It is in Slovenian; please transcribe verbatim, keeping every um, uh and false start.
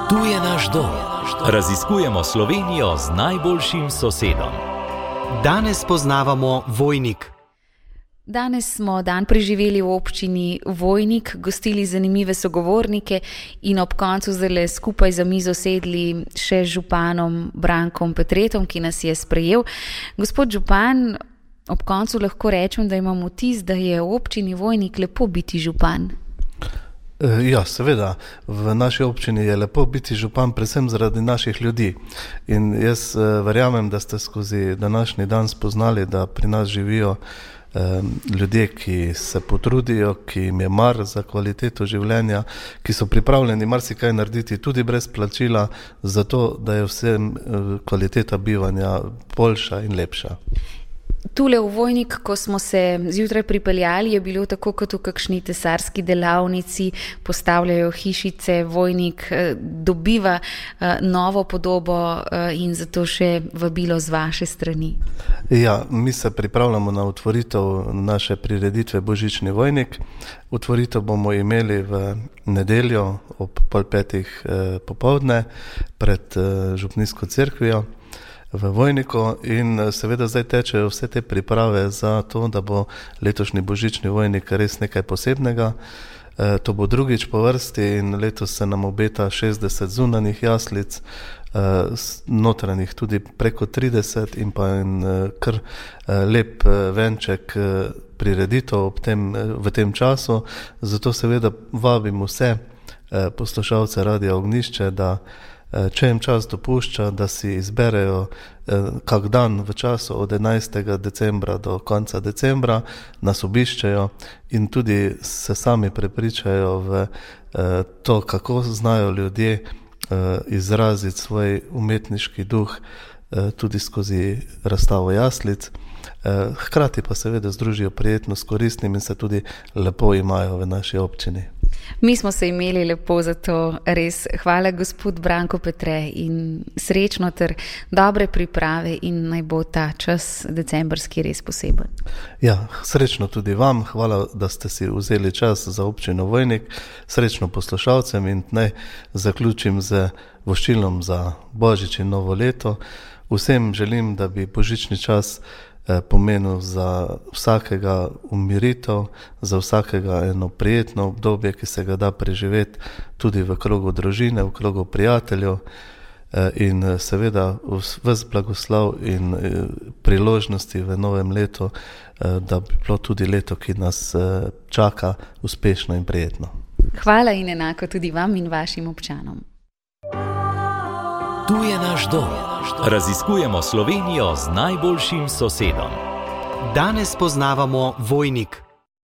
Tu je naš dom. Raziskujemo Slovenijo z najboljšim sosedom. Danes poznavamo Vojnik. Danes smo dan preživeli v občini Vojnik, gostili zanimive sogovornike in ob koncu zdajle skupaj za mizo sedli še z županom Brankom Petretom, ki nas je sprejel. Gospod župan, ob koncu lahko rečem, da imam vtis, da je v občini Vojnik lepo biti župan. Ja, seveda, v naši občini je lepo biti župan, predvsem zaradi naših ljudi. In jaz verjamem, da ste skozi današnji dan spoznali, da pri nas živijo eh, ljudje, ki se potrudijo, ki jim je mar za kvaliteto življenja, ki so pripravljeni marsikaj narediti tudi brez plačila, zato da je vsem eh, kvaliteta bivanja boljša in lepša. Tule v Vojnik, ko smo se zjutraj pripeljali, je bilo tako kot v kakšni tesarski delavnici, postavljajo hišice, Vojnik dobiva novo podobo in zato še vabilo z vaše strani. Ja, mi se pripravljamo na otvoritev naše prireditve Božični Vojnik. Otvoritev bomo imeli v nedeljo ob pol petih popoldne pred župnijsko cerkvijo v Vojniku in seveda zdaj tečejo vse te priprave za to, da bo letošnji Božični Vojnik res nekaj posebnega. E, to bo drugič po vrsti in letos se nam obeta šestdeset zunanjih jaslic, e, notranjih tudi preko trideset in pa en kar lep venček prireditev ob tem, v tem času. Zato seveda vabim vse poslušalce Radia Ognjišče, da če jim čas dopušča, da si izberejo kak dan v času od enajstega decembra do konca decembra, nas obiščejo in tudi se sami prepričajo v to, kako znajo ljudje izraziti svoj umetniški duh tudi skozi razstavo jaslic. Hkrati pa seveda združijo prijetno s koristnim in se tudi lepo imajo v naši občini. Mi smo se imeli lepo za to, res. Hvala gospod Branko Petre in srečno ter dobre priprave in naj bo ta čas decembrski res poseben. Ja, srečno tudi vam. Hvala, da ste si vzeli čas za občino Vojnik. Srečno poslušalcem in naj zaključim z voščilom za Božič in novo leto. Vsem želim, da bi božični čas pomenil za vsakega umiritev, za vsakega eno prijetno obdobje, ki se ga da preživeti tudi v krogu družine, v krogu prijateljev in seveda ves blagoslov in priložnosti v novem letu, da bi bilo tudi leto, ki nas čaka, uspešno in prijetno. Hvala in enako tudi vam in vašim občanom. Tu je naš dom. Raziskujemo Slovenijo z najboljšim sosedom. Danes poznavamo Vojnik.